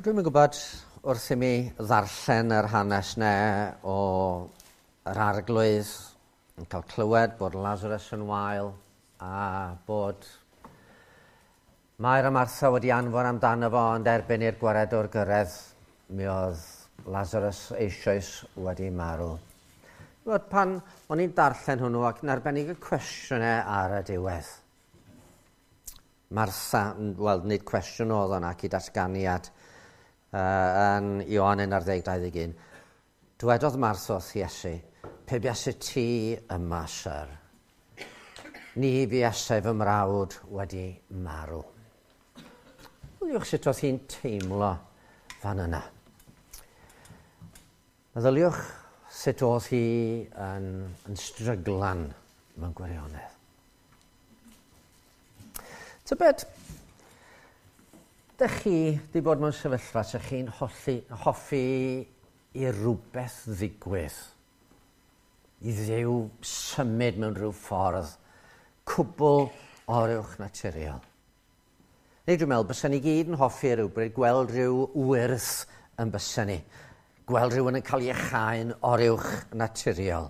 Dwi'm yn gwybod wrth i mi ddarllen yr hanes 'ne o yr Arglwydd yn cael clywed bod Lazarus yn wael a bod Mair a Martha wedi anfon amdano fo, ond erbyn i'r gwaredwr gyrraedd mi oedd Lazarus eisoes wedi marw. Gwybod, pan o'n i'n darllen hwnnw ac yn arbennig y cwestiynau ar y diwedd. Martha, wel, nid cwestiwn oedd o'n ac i datganiad yn Ioan 11, 21. Dwedodd Martha wrth Iesu, "Pe buaset ti yma, syr, ni fuasai fy mrawd wedi marw." Meddyliwch sut oedd hi'n teimlo fan yna. Meddyliwch sut oedd hi yn stryglan mewn gwirionedd. Tybed, dych chi wedi bod mewn sefyllfa lle chi'n hoffi i rhywbeth ddigwydd, i Dduw symud mewn rhyw ffordd cwbl oruwch naturiol? Neu dwi'n meddwl bysa ni gyd yn hoffi rhywbryd gweld rhyw wyrth yn bysa ni. Gweld rhywun yn cael ei iacháu'n oruwch naturiol.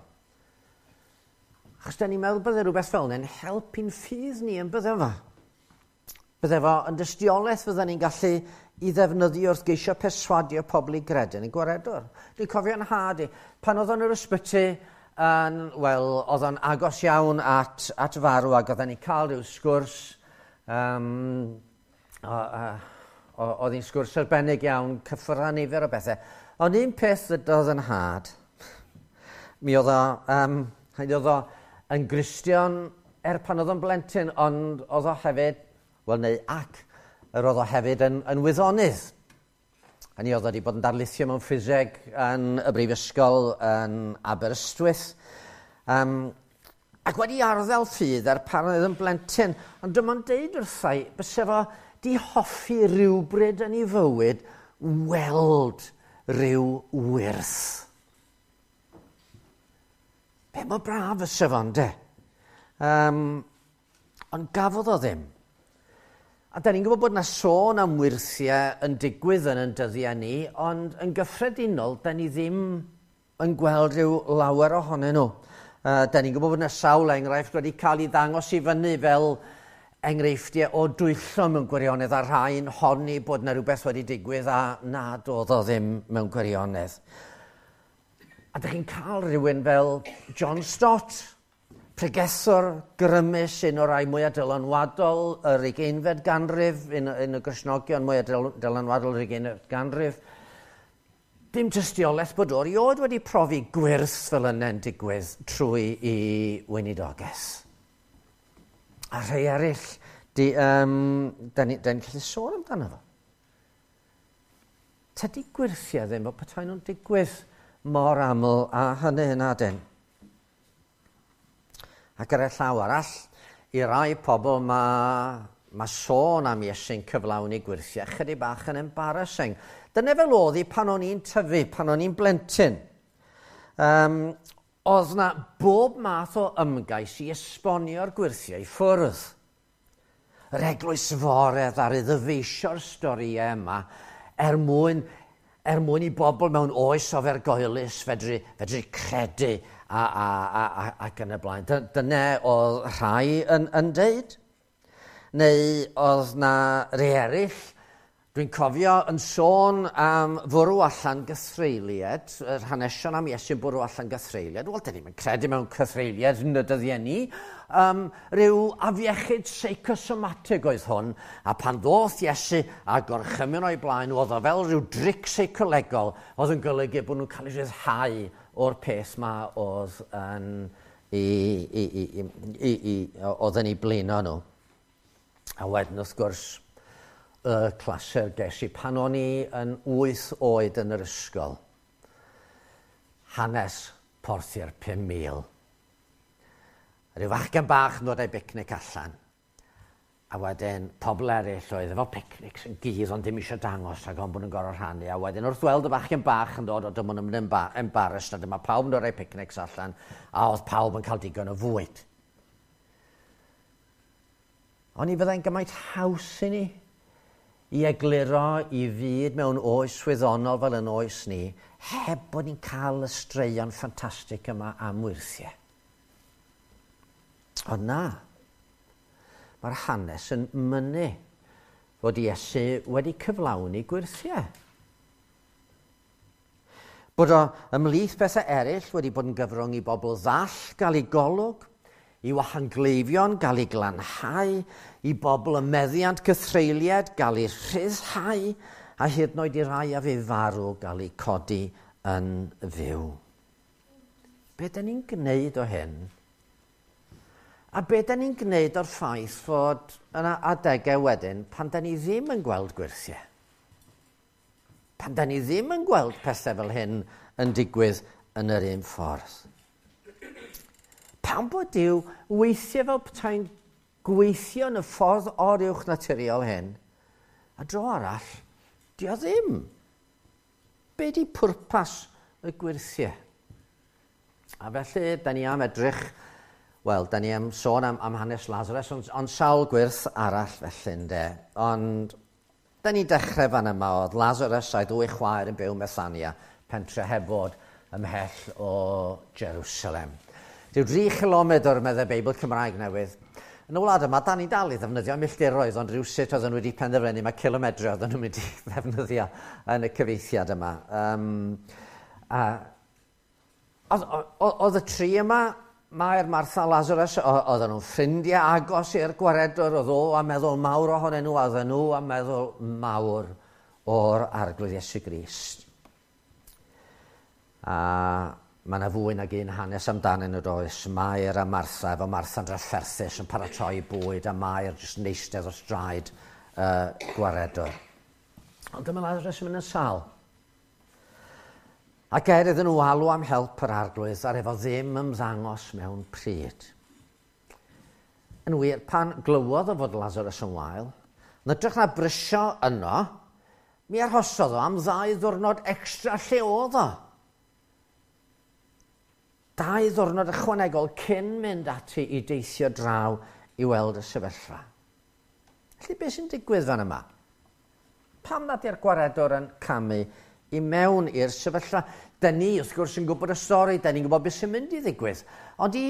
Achos da ni'n meddwl bydde rhywbeth fel yna'n helpu'n ffydd ni yn bydde fo. Bydde fo yn dystiolaeth fydden ni'n gallu i ddefnyddio wrth geisio perswadio pobl i gredu yn y gwaredwr. Dwi'n cofio yn nhad i, pan oedd o'n yr ysbyty, yn, wel, oedd o'n agos iawn at farw ac oedden ni'n cael rhyw sgwrs, oedd hi'n sgwrs arbennig iawn, cyffwrdd â nifer o bethau. Ond un peth ddydodd yn nhad, mi oedd o, oedd o yn Gristion er pan oedd o'n blentyn, ond oedd o hefyd, wel neu ac, yr oedd o hefyd yn wyddonydd. Hynny oedd o wedi bod yn darlithio mewn ffiseg yn y brifysgol yn Aberystwyth. Ac wedi arddel ffydd er pan oedd yn blentyn. Ond dyma'n deud wrthai, byse fo di hoffi rhywbryd yn ei fywyd weld rhyw wyrth. Be mor braf fyse fo, ynde? Ond gafodd o ddim. A da ni'n gwybod bod yna sôn am wyrthiau yn digwydd yn ein dyddiau ni, ond yn gyffredinol, da ni ddim yn gweld rhyw lawer ohonyn nhw. Da ni'n gwybod bod yna sawl enghraifft wedi cael ei ddangos i fyny fel enghreifftiau o dwyllo mewn gwirionedd, a rhai'n honni bod yna rhywbeth wedi digwydd a nad oedd o ddim mewn gwirionedd. A dych chi'n cael rhywun fel John Stott, pregethwr grymus, un o'r rai mwyaf dylanwadol yr 20fed ganrif, un o Gristnogion mwyaf dylanwadol yr 20fed ganrif. Dim tystiolaeth bod o erioed wedi profi gwyrth fel yna'n digwydd trwy i weinidogaeth. A rhai eraill, da ni'n gallu sôn amdano fo. Tydi gwyrthiau ddim o petai nhw'n digwydd mor aml a hynny yn adyn. Ac ar y llaw arall, i rai pobl mae sôn am Iesu'n cyflawni gwyrthiau chydig bach yn embarrassing. Dyna fel oedd hi pan o'n i'n tyfu, pan o'n i'n blentyn. Oedd na bob math o ymgais i esbonio'r gwyrthiau i ffwrdd. Yr eglwys fore ddaru ddyfeisio'r storïau yma er mwyn i bobl mewn oes ofergoelus fedru credu ac yn y blaen. Dyna oedd rhai yn deud. Neu oedd na rei eraill, dwi'n cofio yn sôn am fwrw allan gythreuliad, yr hanesion am Iesu'n bwrw allan gythreuliad. Wel, dyn ni'm yn credu mewn cythreuliad yn y dyddiau ni. Rhyw afiechyd seicosomatig oedd hwn, a pan ddoth Iesu a gorchymyn o'i blaen, oedd o fel rhyw dric seicolegol oedd yn golygu bod nhw'n cael eu rhyddhau o'r peth ma oedd yn oedd yn ei blino nhw. A wedyn, wrth gwrs, y clasur ges i pan o'n i yn 8 oed yn yr ysgol. Hanes porthi'r 5,000. Rhyw fachgen bach yn dod â'i bicnic allan. A wedyn pobl eraill oedd efo picnics yn gudd ond ddim eisiau dangos rhag ofn bod nhw'n gorfod rhannu. A wedyn wrth weld y bachgen bach yn dod, o dyma nhw'n mynd yn embarrassed, a dyma pawb yn dod â'i picnics allan, a oedd pawb yn cael digon o fwyd. Ond i fyddai'n gymaint haws i ni i egluro i fyd mewn oes wyddonol fel yn oes ni, heb bod ni'n cael y straeon ffantastig yma am wyrthiau. Ond na, mae'r hanes yn mynnu fod Iesu wedi cyflawni gwyrthiau. Bod o ymhlith bethau eraill wedi bod yn gyfrwng i bobl ddall gael eu golwg, i wahangleifion gael eu glanhau, i bobl y meddiant cythreuliad gael eu rhyddhau, a hyd yn oed i rai a fu farw gael eu codi yn fyw. Be da ni'n gwneud o hyn? A be da ni'n gwneud o'r ffaith fod yna adegau wedyn pan da ni ddim yn gweld gwyrthiau? Pan da ni ddim yn gweld pethau fel hyn yn digwydd yn yr un ffordd. Pam bod Duw weithiau fel petai'n gweithio yn y ffordd oruwch naturiol hyn, a dro arall, di o ddim. Be di pwrpas y gwyrthiau? A felly, da ni am edrych, wel, da ni am sôn am hanes Lazarus, ond sawl gwyrth arall felly, ynde. Ond da ni'n dechrau fan yma, oedd Lazarus a'i ddwy chwaer yn byw ym Methania, pentre heb fod ymhell o Jerusalem. Rhyw 3 chilomedr, meddai Beibl Cymraeg Newydd. Yn y wlad yma, da ni'n dal i ddefnyddio milltiroedd, ond rhywsut oedden nhw wedi penderfynu mae cilomedrau oedden nhw'n mynd i ddefnyddio yn y cyfieithiad yma. Oedd y tri yma, Mair, Martha, Lazarus, oedden nhw'n ffrindiau agos i'r gwaredwr, oedd o a meddwl mawr ohonyn nhw, a oedden nhw a meddwl mawr o'r Arglwydd Iesu Grist. A mae yna fwy nag un hanes amdanyn nhw does. Mair a Martha, efo Martha'n drafferthus yn paratoi bwyd, a Mair jyst yn eistedd wrth draed gwaredwr. Ond dyma Lazarus yn mynd yn sâl. Ac er iddyn nhw alw am help yr Arglwydd, ar efo ddim ymddangos mewn pryd. Yn wir, pan glywodd o fod Lazarus yn wael, yn hytrach na brysio yno, mi arhosodd o am 2 ddiwrnod extra lle oedd o. 2 ddiwrnod ychwanegol cyn mynd ati i deithio draw i weld y sefyllfa. Felly beth sy'n digwydd fan yma? Pam nad yw'r gwaredwr yn camu i mewn i'r sefyllfa? Da ni, wrth gwrs, yn gwybod y stori, da ni'n gwybod beth sy'n mynd i ddigwydd. Ond i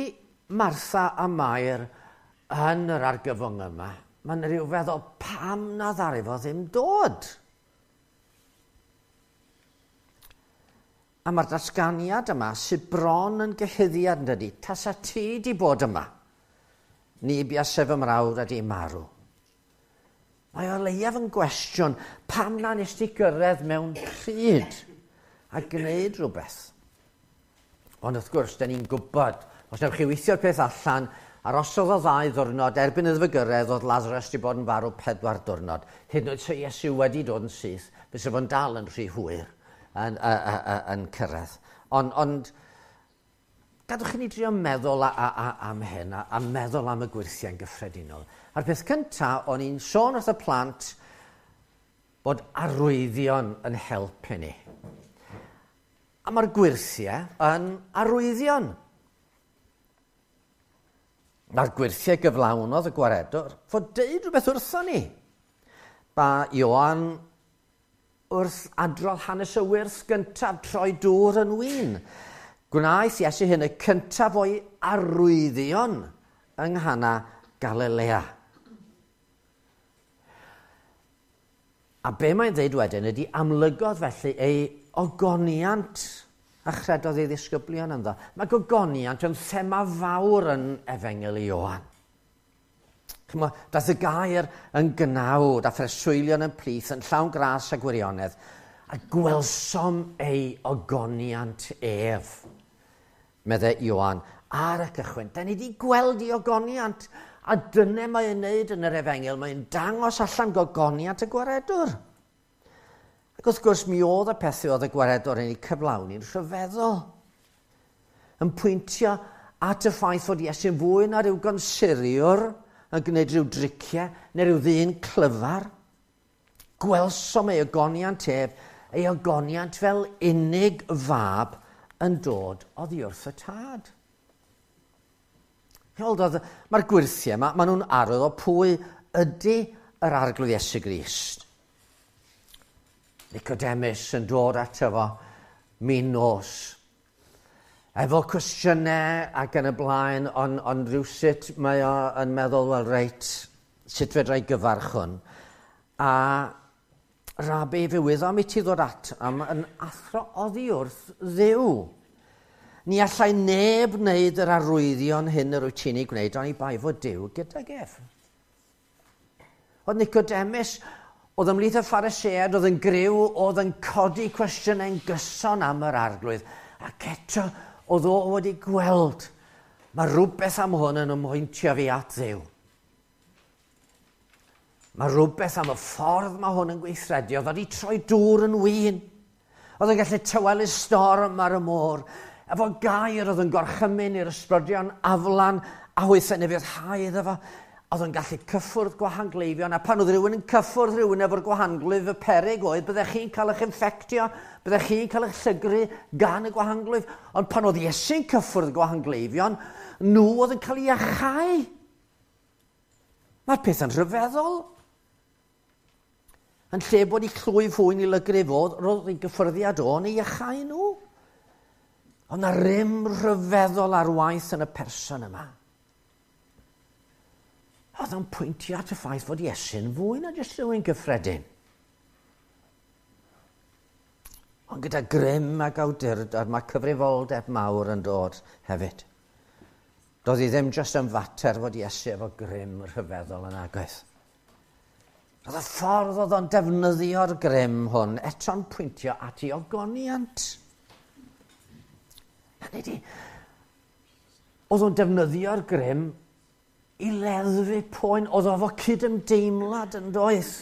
Martha a Mair yn yr argyfwng yma, mae'n rhyw feddwl pam na ddaru fo ddim dod? A mae'r datganiad yma sydd bron yn gyhuddiad yn dydi, tasa ti di bod yma, ni buasai fy mrawd a di marw. Mae o leiaf yn gwestiwn, pam na nes ti gyrraedd mewn pryd a gwneud rhywbeth? Ond wrth gwrs, da ni'n gwybod, os newch chi weithio'r peth allan, arosodd o 2 ddiwrnod, erbyn iddo fe gyrraedd, oedd Lazarus wedi bod yn farw 4 diwrnod. Hyd yn oed se Iesu wedi dod yn syth, fysa fo'n dal yn rhy hwyr yn cyrraedd. Ond gadwch i ni drio meddwl am hyn, a meddwl am y gwyrthiau'n gyffredinol. A'r peth cyntaf, o'n i'n sôn wrth y plant bod arwyddion yn helpu ni. A mae'r gwyrthiau yn arwyddion. Mae'r gwyrthiau gyflawnodd y gwaredwr fod deud rhywbeth wrtho ni. Ba Ioan wrth adrodd hanes y wyrth gyntaf troi dŵr yn win. Gwnaeth Iesu hyn y cyntaf o'i arwyddion yng Nghana Galilea. A be mae'n dweud wedyn ydy amlygodd felly ei ogoniant a chredodd ei ddisgyblion ynddo. Mae gogoniant yn thema fawr yn Efengyl Ioan. Chimod, daeth y gair yn gnawd a phreswylion yn plith yn llawn gras a gwirionedd, a gwelsom ei ogoniant ef, meddai Ioan ar y cychwyn. Da ni wedi gweld ei ogoniant, a dyna mae'n wneud yn yr Efengyl, mae'n dangos allan gogoniant y gwaredwr. Ac wrth gwrs, mi oedd y pethau oedd y gwaredwr yn ei cyflawni'n rhyfeddol, yn pwyntio at y ffaith fod Iesu'n fwy na rhyw gonsuriwr yn gwneud rhyw driciau neu rhyw ddyn clyfar. Gwelsom ei ogoniant ef, ei ogoniant fel unig fab yn dod oddi wrth y tad. Mae'r gwyrthiau yma, maen nhw'n arwydd o pwy ydy yr Arglwydd Iesu Grist. Nicodemus yn dod ato fo min nos. Efo cwestiynau ac yn y blaen, ond rhywsut mae o yn meddwl, wel reit, sut fedra i gyfarch hwn? A Rabi, fe wyddom i ti ddod at am yn athro oddi wrth Dduw. Ni allai neb wneud yr arwyddion hyn yr wyt ti'n ei gwneud, oni bai fod Duw gydag ef. Oedd Nicodemus, oedd ymhlith y Phariseaid, oedd yn griw, oedd yn codi cwestiynau'n gyson am yr Arglwydd. Ac eto, oedd o wedi gweld, mae rhywbeth am hwn yn ymhwyntio fi at Dduw. Mae rhywbeth am y ffordd mae hwn yn gweithredu. Oedd wedi troi dŵr yn win. Oedd yn gallu tawelu storm ar y môr. Efo gair oedd yn gorchymyn i'r ysbrydion aflan a hwythau ufuddhau iddo fo. Oedd yn gallu cyffwrdd gwahangleifion, a pan oedd rhywun yn cyffwrdd rhywun efo'r gwahanglwyf, y peryg oedd, byddech chi'n cael eich infectio, byddech chi'n cael eich llygru gan y gwahanglwyf. Ond pan oedd Iesu'n cyffwrdd gwahangleifion, nhw oedd yn cael eu iachau. Mae'r peth yn rhyfeddol. Yn lle bod eu clwyf hwy'n ei lygru fo, roedd ei gyffyrddiad o'n ei iachau nhw. Ond na rym rhyfeddol ar waith yn y person yma. Oedd o'n pwyntio at y ffaith fod Iesu'n fwy na jyst rhywun gyffredin. Ond gyda grym ac awdurdod mae cyfrifoldeb mawr yn dod hefyd. Doedd hi ddim jyst yn fater fod Iesu efo grym rhyfeddol yn agos. Roedd y ffordd oedd o'n defnyddio'r grym hwn eto'n pwyntio at ei ogoniant. Hynny ydi, oedd o'n defnyddio'r grym i leddfu poen, oedd o efo cydymdeimlad yn doedd,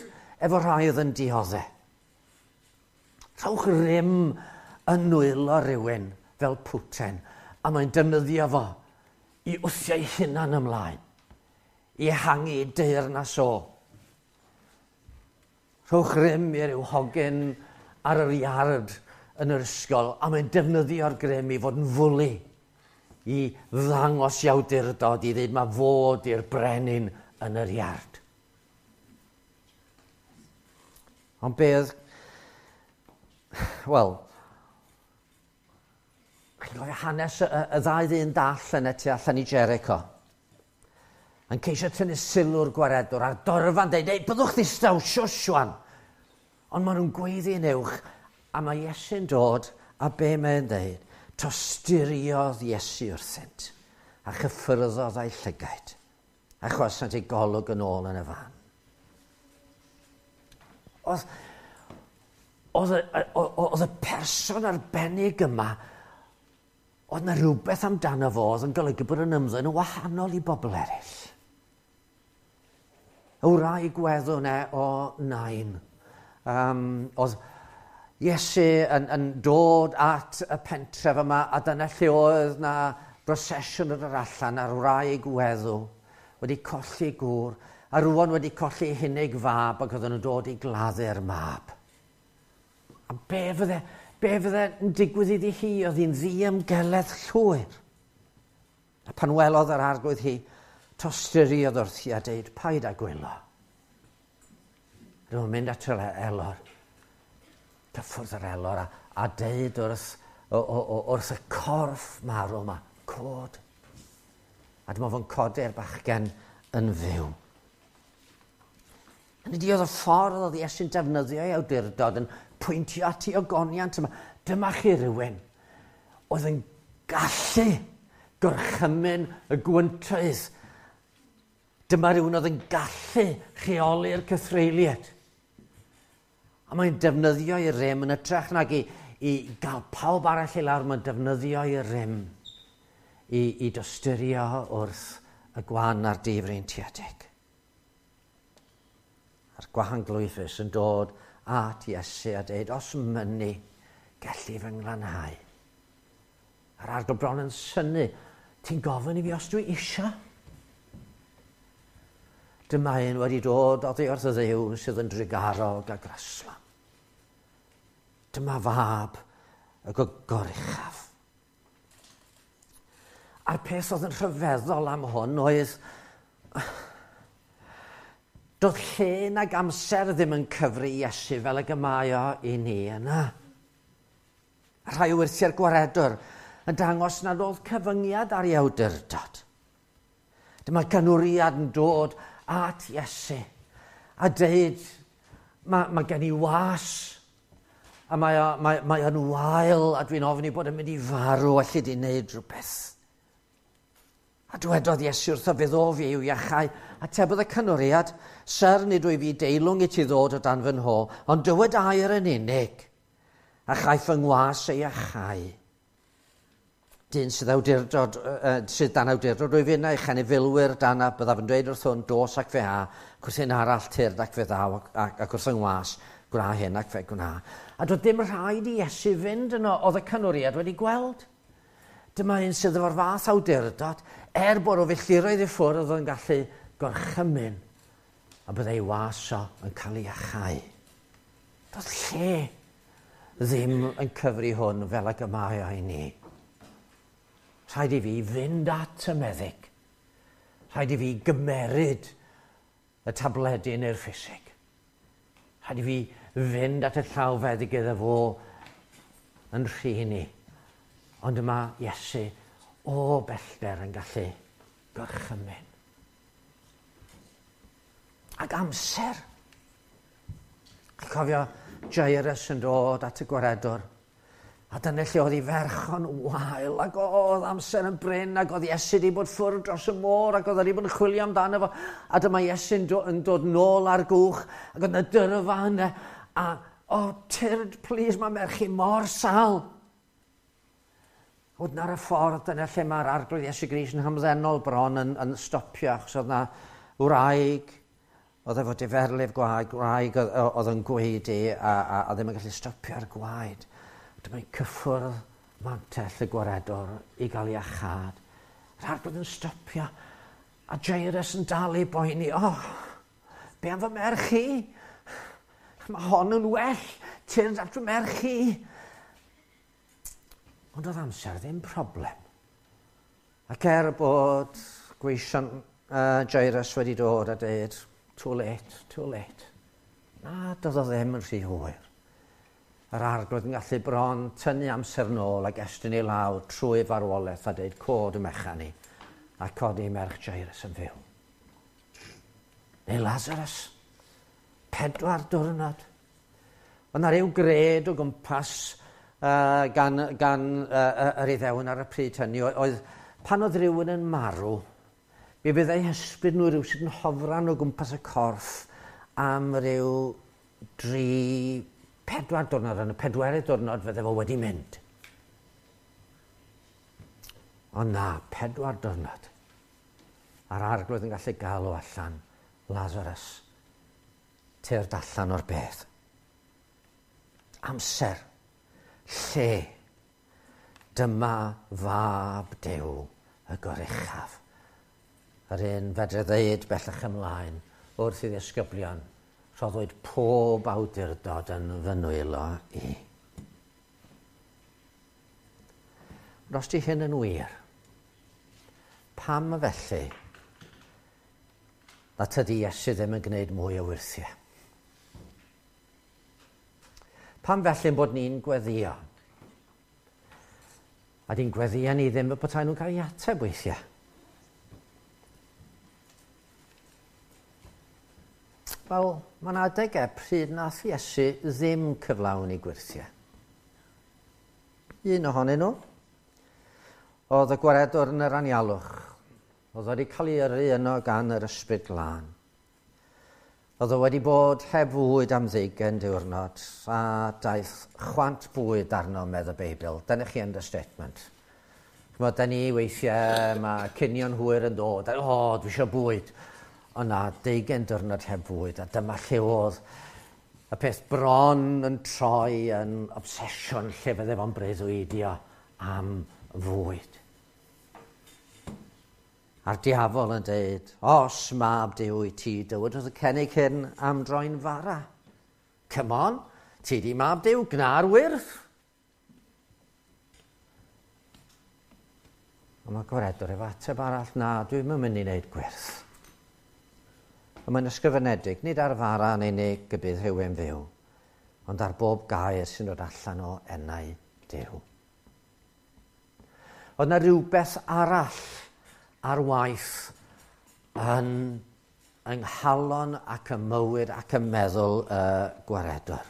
efo rhai oedd yn dioddef. Rhowch rym yn nwylo rhywun fel Putin, a mae'n defnyddio fo i wthio ei hunan ymlaen, i ehangu ei deyrnas o. Rhowch rym i ryw hogyn ar yr iard yn yr ysgol, a mae'n defnyddio'r grym i fod yn fwli, i ddangos i awdurdod, i ddweud mae fod i'r brenin yn yr iard. Ond be oedd... Wel, chi'n cofio hanes y ddau ddyn dall yn y tu allan i Jericho? Yn ceisio tynnu sylw'r gwaredwr a'r dorfa'n dweud, ei, byddwch ddistaw, shush wan. Ond maen nhw'n gweiddi'n uwch, a mae Iesu'n dod, a be mae'n dweud? Tosturiodd Iesu wrthynt, a chyffyrddodd â'i llygaid, a chwasant ei golwg yn ôl yn y fan. Oedd y person arbennig yma, oedd na rhywbeth amdano fo oedd yn golygu bod yn ymddwyn yn wahanol i bobl eraill. Y wraig weddw 'na o Nain. Oedd Iesu yn dod at y pentref yma, a dyna lle oedd na brosesiwn yn yr allan a'r wraig weddw wedi colli gŵr, a rwan wedi colli hunig fab ac oedden nhw'n dod i gladdu'r mab. A be fydde yn digwydd iddi hi? Oedd hi'n ddiymgeledd llwyr. A pan welodd yr Arglwydd hi, tosturiodd wrthi a deud, paid â gwylo. Dyma'n mynd at yr elor, cyffwrdd yr elor a deud wrth y corff marw yma, cod. A dyma fo'n codi'r bachgen yn fyw. Hynny ydi, oedd y ffordd oedd Iesu'n defnyddio ei awdurdod yn pwyntio at ei ogoniant yma. Dyma chi rywun oedd yn gallu gorchymyn y gwyntoedd. Dyma rywun oedd yn gallu rheoli'r cythreuliad. A mae'n defnyddio ei rym yn hytrach nag i gael pawb arall i lawr, mae'n defnyddio ei rym i dosturio wrth y gwan a'r difreintiedig. A'r gwahanglwyfus yn dod at Iesu a deud, os mynni, gelli fy nglanhau. A'r Arglwydd bron yn synnu, ti'n gofyn i fi os dwi isio? Dyma un wedi dod oddi wrth y Dduw sydd yn drugarog a graslon. Dyma fab y goruchaf. A'r peth oedd yn rhyfeddol am hwn oedd, Doedd lle nag amser ddim yn cyfri Iesu fel ag y mae o i ni yna. Rhai o wyrthiau'r gwaredwr yn dangos nad oedd cyfyngiad ar ei awdurdod. Dyma ganwriad yn dod at Iesu a deud, mae gen i was a mae o'n wael a dwi'n ofni bod yn mynd i farw, allu di wneud rhywbeth. A dwedodd Iesu wrtho, fe ddof fi i'w iachau. Atebodd y canwriad, Syr, nid wyf fi deilwng i ti ddod o dan fy nho, ond dywed air yn unig, a chaiff fy ngwas ei iachau. Dyn sydd, awdurdod, sydd dan awdurdod wyf innau, chanifilwyr dan a byddaf yn dweud wrth hwn, dos ac fe a, ac wrth un arall tyrd ac fe ddaw, ac wrth yng ngwas, gwna hyn ac fe gwna. A doedd dim rhaid i Iesu fynd yno, oedd y canwriad wedi gweld. Dyma un sydd efo'r fath awdurdod, er bod o filltiroedd i ffwrdd oedd yn gallu gorchymyn, a byddai ei was o yn cael ei iachau. Doedd lle ddim yn cyfri hwn fel ag y mae o i ni. Rhaid i fi fynd at y meddyg. Rhaid i fi gymeryd y tabledi neu'r ffisig. Rhaid i fi fynd at y llawfeddyg iddo fo yn rhin i. Ond yma Iesu o bellter yn gallu gorchymyn. Ac amser. Cofio Jairus yn dod at y gwaredwr. A dyna lle oedd ei ferch o'n wael, ac oedd amser yn brin, ac oedd Iesu wedi bod ffwrdd dros y môr, ac oedd wedi bod yn chwilio amdano fo. A dyma Iesu'n yn dod nôl ar gwch, ac oedd yna dyrfa yna, a, o, tyrd, please, mae merch i mor sal. Oedd na ar y ffordd, dyna lle mae'r Arglwydd Iesu Grist yn hamddenol bron yn stopio, achos oedd na wraig, oedd efo diferlif gwaed, gwraig oedd yn gwaedu a ddim yn gallu stopio ar gwaed. Dyma'n cyffwrdd mantell y gwaredwr i gael ei iachâd. Yr Arglwydd yn stopio, a Jairus yn dal i boeni. O, be am fy merch i? Mae hon yn well, tyrd at fy merch i. Ond oedd amser ddim problem. Ac er bod gweision Jairus wedi dod a dweud, too late, too late. Na, doedd o ddim yn rhy hwyr. Yr Arglwydd yn gallu bron tynnu amser nôl ac estyn ei law trwy farwolaeth a dweud cod y mechan i a codi merch Jairus yn fyw. Neu Lazarus, 4 diwrnod. Oedd 'na ryw gred o gwmpas gan yr Iddewon ar y pryd hynny, oedd pan oedd rhywun yn marw, mi fyddai hysbryd nhw rhywsut yn hofran o gwmpas y corff am ryw 3, 4 diwrnod, yn y 4 diwrnod fydde fo wedi mynd. Ond na, 4 diwrnod. A'r Arglwydd yn gallu galw allan, Lazarus, tyrd allan o'r bedd. Amser, lle, dyma fab Duw y goruchaf. Yr un fedre ddeud bellach ymlaen wrth i ddisgyblion, rhoddwyd pob awdurdod yn fy nwylo i. Ond os di hyn yn wir, pam felly na tydi Iesu ddim yn gwneud mwy o wyrthiau? Pam felly bod ni'n gweddio? A di'n gweddio ni ddim y petai nhw'n cael ei ateb weithiau. Wel, mae'n adegau pryd nath Iesu ddim cyflawni gwyrthiau. Un ohonyn nhw oedd y gwaredwr yn yr anialwch. Oedd wedi cael ei yrru yno gan yr Ysbryd Glân. Oedd o wedi bod heb fwyd am 20 diwrnod a daeth chwant bwyd arno, medd y Beibl. Dyna chi understatement. Ch'mod, da ni weithiau, mae cinio'n hwyr yn dod, o, dwi eisiau bwyd. Ond na, 20 diwrnod heb fwyd, a dyma lle oedd y peth bron yn troi yn obsesiwn lle fydde fo'n breuddwydio am fwyd. A'r diafol yn dweud, os mab Duw i ti, dywed wrth y cenig hyn am droi'n fara. Come on, ti di mab Duw, gna'r wyrth. Ond mae gwaredwr efo ateb arall, na, dwi'm yn mynd i wneud gwyrth. Y mae'n ysgrifenedig, nid ar fara yn unig y bydd rhywun fyw, ond ar bob gair sy'n dod allan o enau Duw. Oedd yna rhywbeth arall ar waith yn yng nghalon ac y mywyd ac y meddwl y gwaredwr.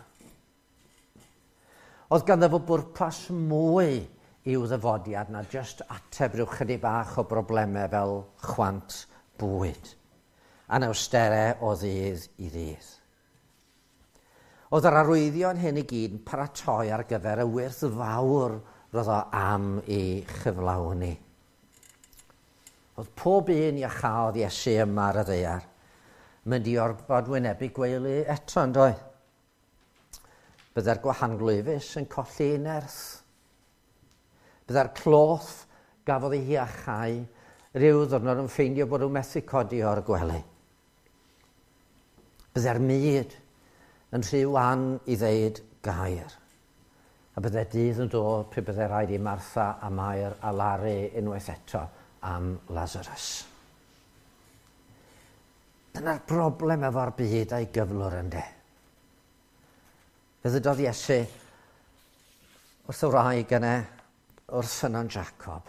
Oedd ganddo fo bwrpas mwy i'w ddyfodiad na jyst ateb rhyw chydig bach o broblemau fel chwant bwyd, anawsterau o ddydd i ddydd. Oedd yr arwyddion hyn i gyd yn paratoi ar gyfer y wyrth fawr roedd o am ei chyflawni. Oedd pob un iachaodd Iesu yma ar y ddaear mynd i orfod wynebu gweulu eto, yn doedd? Byddai'r gwahanglwyfus yn colli ei nerth. Byddai'r cloth gafodd ei hiachau rhyw ddwrnod yn ffeindio bod nhw'n methu codi o'r gwely. Byddai'r mud yn rhy wan i ddeud gair. A byddai dydd yn dod pryd byddai rhaid i Martha a Mair alaru unwaith eto am Lazarus. Dyna'r broblem efo'r byd a'i gyflwr ynde. Fe ddydodd Iesu wrth y wraig yna wrth ffynnon Jacob.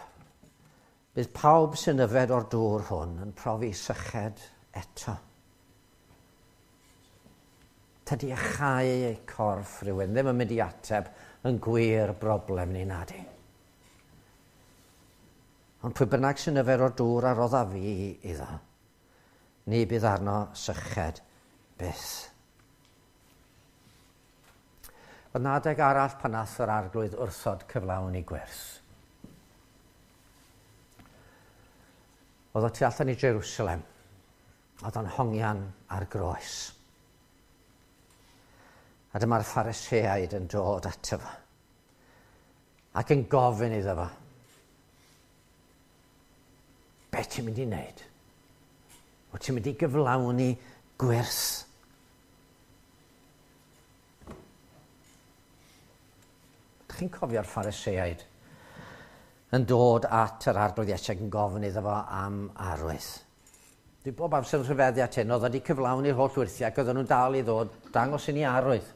Bydd pawb sy'n yfed o'r dŵr hwn yn profi syched eto. Tydi achau eu corff rhywun ddim yn mynd i ateb yn gwir broblem ni nadi. Ond pwy bynnag sy'n yfed o'r dŵr a rodda fi iddo, ni bydd arno syched byth. Oedd na adeg arall pan nath yr arglwydd wrthod cyflawn i gwers. Oedd o tu allan i Jerusalem. Oedd o'n hongian ar groes. A dyma'r Phariseaid yn dod ato fo. Ac yn gofyn iddo fo. Be ti'n mynd i wneud? Wyt ti'n mynd i gyflawni gwers? Ydych chi'n cofio'r Phariseaid yn dod at yr arglwydd Iesu ac yn gofyn iddo fo am arwydd? Dwi bob amser yn rhyfeddu at hyn, oedd wedi cyflawni'r holl wyrthiau ac oedden nhw'n dal i ddod dangos i ni arwydd.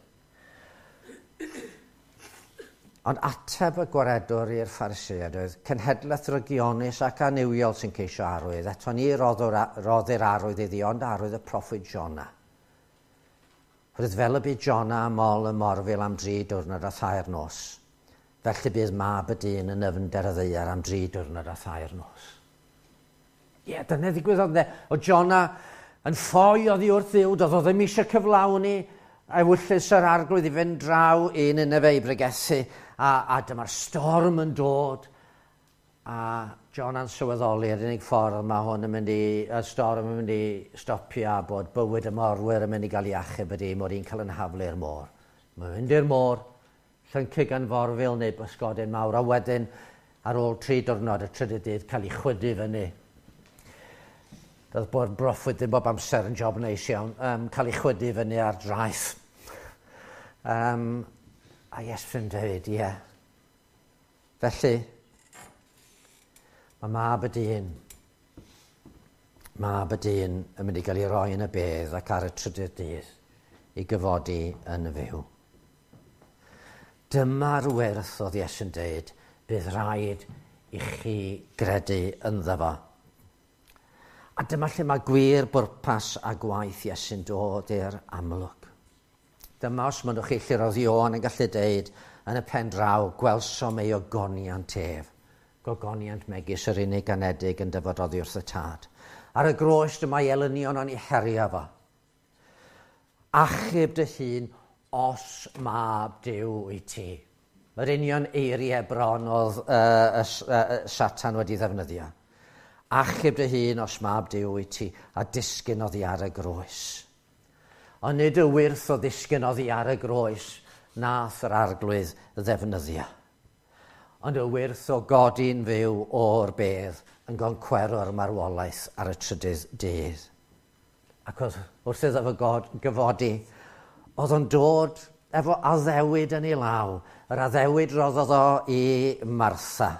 Ond ateb y gwaredwr i'r Phariseaid oedd cenhedlaeth rygionus ac annuwiol sy'n ceisio arwydd. Eto ni roddir arwydd iddi, ond arwydd y proffwyd Jona. Roedd fel y bu Jona am ôl y morfil am 3 diwrnod a 3 nos. Felly bydd mab y dyn yn nyfnder y ddaear am 3 diwrnod a 3 nos. Ie, dyna ddigwyddodd ynde. O Jona yn ffoi oddi wrth Dduw, doedd o ddim eisiau cyflawni ewyllys yr arglwydd i fynd draw i Nineveh i bregethu, a dyma'r storm yn dod, a Jona'n sylweddoli yr unig ffordd mae hwn yn mynd i, y storm yn mynd i stopio a bod bywyd y morwyr yn mynd i gael ei achub ydy mod i'n cael yn haflu i'r môr. Mae'n mynd i'r môr, llyncu gan forfil neu bysgodyn mawr, a wedyn ar ôl 3 diwrnod y trydydd dydd cael ei chwydu fyny. Doedd bod broffwyd ddim bob amser yn job neis iawn, cael ei chwydu fyny ar draeth. A Iesu'n dweud, ie. Felly, mae mab y dyn yn mynd i gael ei roi yn y bedd ac ar y trydydd dydd i gyfodi yn y fyw. Dyma'r wyrth oedd Iesu'n dweud, bydd rhaid i chi gredu ynddo fo. A dyma lle mae gwir bwrpas a gwaith Iesu'n dod i'r amlwg. Dyma os mynnwch chi lle roedd Ioan yn gallu deud yn y pen draw, gwelsom ei ogoniant ef. Gogoniant megis yr unig anedig yn dyfod oddi wrth y tad. Ar y groes dyma ei elynion o'n ei herio fo. Achub dy hun os mab Duw i ti. Mae'r union eiriau bron oedd Satan wedi ddefnyddio. Achub dy hun os mab Duw i ti a disgyn oddi ar y groes. Ond nid y wyrth o ddisgyn oddi ar y groes nath yr arglwydd ddefnyddio. Ond y wyrth o godi'n fyw o'r bedd yn goncwero'r marwolaeth ar y trydydd dydd. Ac wrth iddo fo gyfodi, oedd o'n dod efo addewid yn ei law, yr addewid roddodd o i Martha.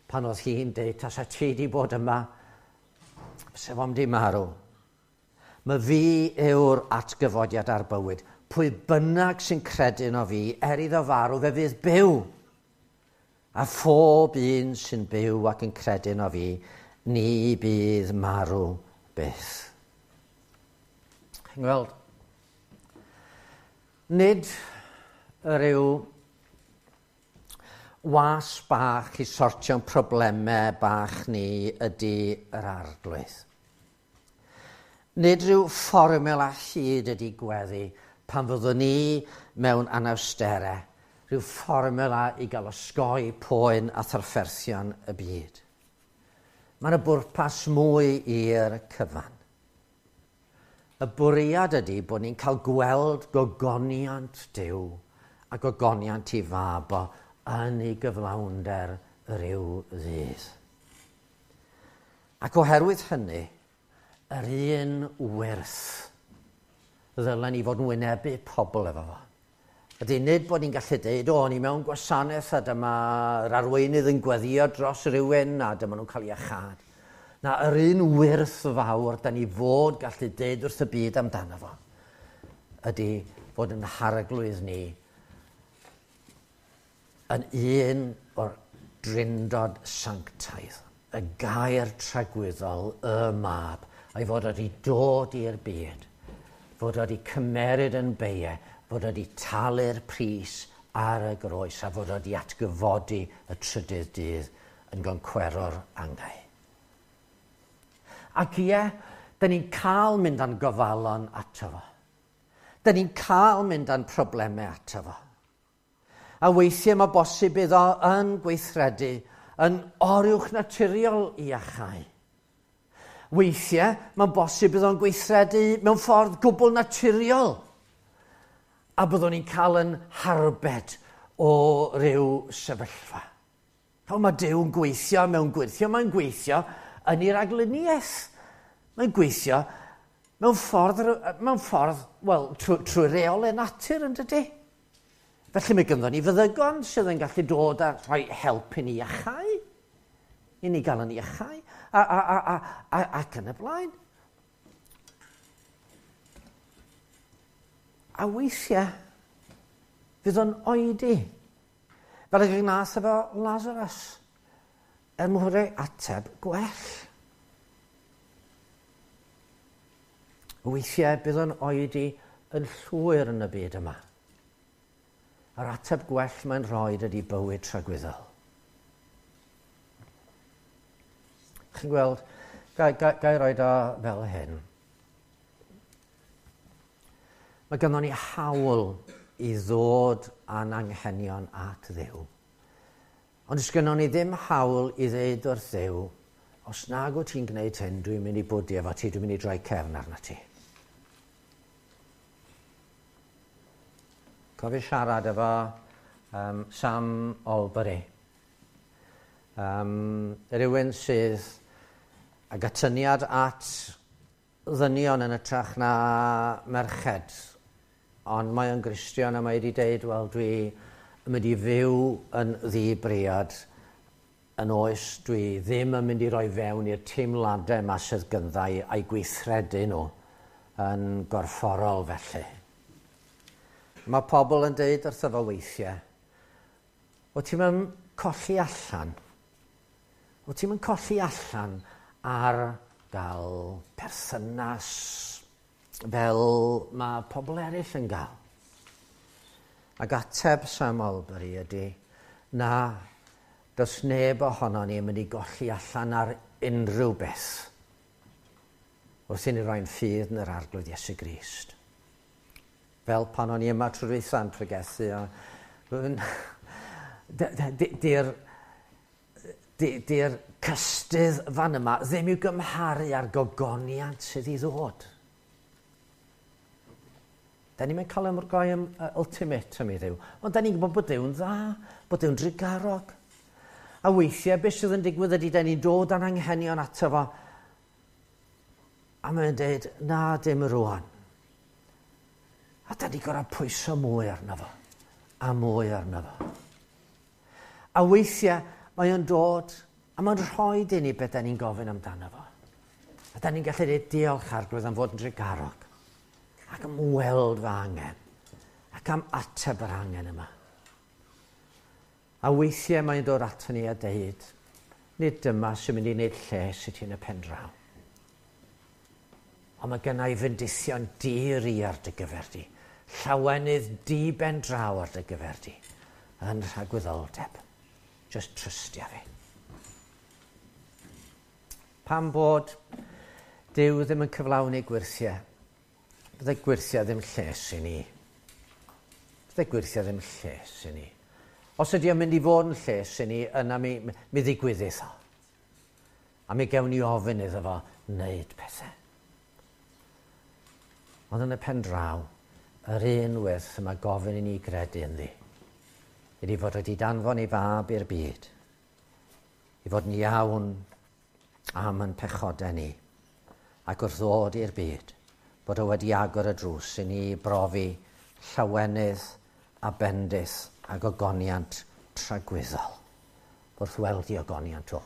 Pan oedd hi'n deud, tasa ti di bod yma, se fo'm di marw. Mae fi yw'r atgyfodiad a'r bywyd. Pwy bynnag sy'n credu yno fi, er iddo farw, fe fydd byw. A phob un sy'n byw ac yn credu yno fi, ni bydd marw byth. Chi'n gweld? Nid rhyw was bach i sortio'n problemau bach ni ydy yr Arglwydd. Nid rhyw fformula hud ydy gweddi pan fyddwn ni mewn anawsterau, rhyw fformula i gael osgoi poen a thrafferthion y byd. Mae yna bwrpas mwy i'r cyfan. Y bwriad ydy bod ni'n cael gweld gogoniant Duw a gogoniant ei fab o yn ei gyflawnder ryw ddydd. Ac oherwydd hynny, yr un wyrth ddylen ni fod yn wynebu pobl efo fo. Ydy nid bod ni'n gallu deud, o, ni mewn gwasanaeth a dyma'r arweinydd yn gweddio dros rywun a dyma nhw'n cael iachâd. Na, yr un wyrth fawr da ni fod gallu deud wrth y byd amdano fo ydy fod yn harglwydd ni yn un o'r drindod sanctaidd, y gair tragwyddol, y mab, a'i fod wedi dod i'r byd, fod wedi cymeryd yn beie, fod wedi talu'r pris ar y groes a fod wedi atgyfodi y trydydd dydd yn goncweror angau. Ac ie, da ni'n cael mynd â'n gofalon ato fo. Da ni'n cael mynd â'n problemau ato fo. A weithiau mae bosib iddo yn gweithredu yn oruwch naturiol i achau. Weithiau mae'n bosib iddo'n gweithredu mewn ffordd gwbl naturiol. A byddwn ni'n cael yn harbed o ryw sefyllfa. Fel mae Duw yn gweithio mewn gwirthio, mae'n gweithio yn ei ragluniaeth. Mae'n gweithio mewn ffordd, mewn ffordd wel, trwy, trwy reolau natur yn dydy. Felly mae gynddon ni feddygon sydd yn gallu dod a rhoi help i ni iachau, i ni gael yn iachau, a, a, a, a, a, ac yn y blaen. A weithiau, fydd o'n oedi. Fel y gnath efo Lazarus, er mwyn rhoi ateb gwell. Weithiau bydd o'n oedi yn llwyr yn y byd yma. A'r ateb gwell mae'n rhoi ydy bywyd tragwyddol. Chi'n gweld, gai, gai, gai roed o fel hyn. Mae gynnon ni hawl i ddod â'n anghenion at Dduw. Ond does gynnon ni ddim hawl i ddeud wrth Dduw, os nag wyt ti'n gwneud hyn, dwi'n mynd i bwdu efo ti, dwi'n mynd i droi cefn arna ti. Cofio siarad efo um, Sam Albury. Um, rhywun sydd ag atyniad at ddynion yn ytrach na merched. Ond mae o'n Gristion a mae wedi deud, wel, dwi yn mynd i fyw yn ddi-briod yn oes dwi ddim yn mynd i roi fewn i'r teimladau yma sydd gynddau a'i gweithredu nhw yn gorfforol felly. Mae pobl yn deud wrtho fo weithiau, o ti'n mynd colli allan, o ti'n mynd colli allan ar gael perthynas fel mae pobl eraill yn gael. Ac ateb Sam Albury ydy, na, does neb ohono ni yn mynd i golli allan ar unrhyw beth wrth i ni roi'n ffydd yn yr Arglwydd Iesu Grist. Fel pan o'n i yma trwy'r dwytha'n pregethu, a di'r di'r cystudd fan yma ddim i'w gymharu â'r gogoniant sydd i ddod. Da ni'n mynd cael ymrgoi am ultimatum i Dduw. Ond da ni'n gwybod bod Duw'n dda, bod Duw'n drugarog. A weithiau, beth sydd yn digwydd ydy, da ni'n dod â'n anghenion ato fo. A mae'n dweud, na, dim rwan. A da ni gorau pwyso mwy arno fo. A mwy arno fo. A weithiau, mae o'n dod, a mae'n rhoi i ni beth da ni'n gofyn amdano fo. A da ni'n gallu dweud diolch Arglwydd am fod yn drugarog ac am weld fy angen ac am ateb yr angen yma. A weithiau mae'n dod ato ni a deud, nid dyma sy'n mynd i wneud lles i ti yn y pen draw. Ond mae gynna i fendithion di-ri ar dy gyfer di. Llawenydd di ben draw ar dy gyfer di. Yn rhagwyddoldeb. Just trystia fi. Pam bod Duw ddim yn cyflawni gwyrthiau? Bydde gwyrthiau ddim lles i ni. Bydde gwyrthiau ddim lles i ni. Os ydy o'n mynd i fod yn lles i ni, yna mi ddigwyddith o. A mi gewn ni ofyn iddo fo wneud pethau. Ond yn y pen draw, yr un wyrth y mae gofyn i ni gredu ynddi, ydy fod wedi danfon ei fab i'r byd, i fod yn iawn am yn pechodau ni, ac wrth ddod i'r byd, bod o wedi agor y drws i ni brofi llawenydd a bendith ac ogoniant tragwyddol wrth weld i ogoniant o.